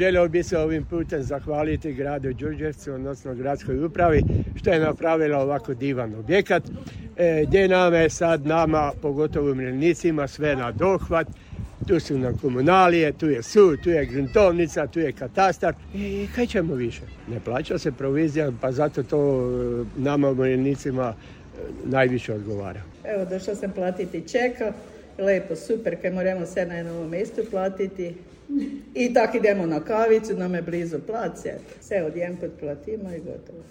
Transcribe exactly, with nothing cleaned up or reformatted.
Želio bi se ovim putem zahvaliti gradu Đurđevcu, odnosno gradskoj upravi, što je napravila ovako divan objekat, e, gdje nam je sad nama, pogotovo umirovljenicima, sve na dohvat. Tu su nam komunalije, tu je sud, tu je gruntovnica, tu je katastar. I kaj ćemo više? Ne plaća se provizija, pa zato to nama umirovljenicima najviše odgovara. Evo, došla sam platiti čeka. Lepo, super, kaj moramo sve na jednom mjestu platiti. I tako idemo na kavicu, nam je blizu plac. Sve odjedanput platimo i gotovo.